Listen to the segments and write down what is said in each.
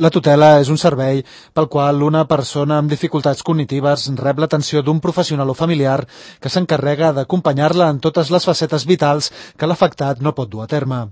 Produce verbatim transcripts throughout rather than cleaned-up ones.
La tutela és un servei pel qual una persona amb dificultats cognitives rep l'atenció d'un professional o familiar que s'encarrega d'acompanyar-la en totes les facetes vitals que l'afectat no pot dur a terme.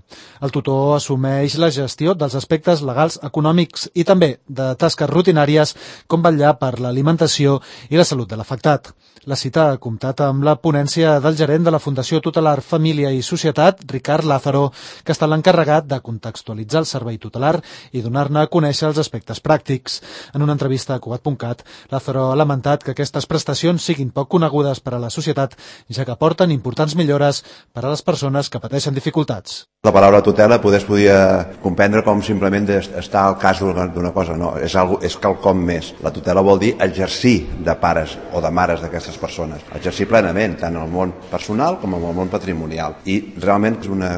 El tutor assumeix la gestió dels aspectes legals, econòmics i també de tasques rutinàries com vetllar per l'alimentació i la salut de l'afectat. La cita ha comptat amb la ponència del gerent de la Fundació Tutelar Família i Societat, Ricard Lázaro, que està l'encarregat de contextualitzar el servei tutelar i donar-ne a conèixer els aspectes pràctics. En una entrevista a Cugat punt cat, Lázaro ha lamentat que aquestes prestacions siguin poc conegudes per a la societat, ja que aporten importants millores per a les persones que pateixen dificultats. La paraula tutela poder es podia comprendre com simplement estar al cas d'una cosa, no, és, algo, és quelcom més. La tutela vol dir exercir de pares o de mares d'aquestes persones, exercir plenament, tant en el món personal com en el món patrimonial. I realment és una...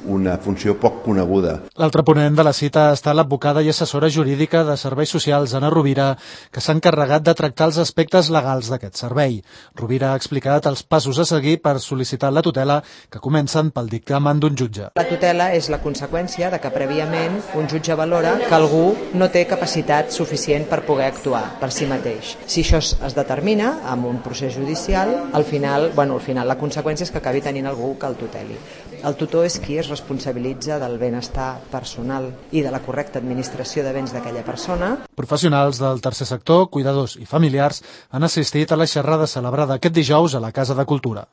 una funció poc coneguda. L'altre ponent de la cita està l'advocada i assessora jurídica de Serveis Socials, Anna Rovira, que s'ha encarregat de tractar els aspectes legals d'aquest servei. Rovira ha explicat els passos a seguir per sol·licitar la tutela, que comencen pel dictamen d'un jutge. La tutela és la conseqüència de que prèviament un jutge valora que algú no té capacitat suficient per poder actuar per si mateix. Si això es determina amb un procés judicial, al final, bueno, al final la conseqüència és que acabi tenint algú que el tuteli. El tutor és qui es responsabilitza del benestar personal i de la correcta administració de béns d'aquella persona. Professionals del tercer sector, cuidadors i familiars han assistit a la xerrada celebrada aquest dijous a la Casa de Cultura.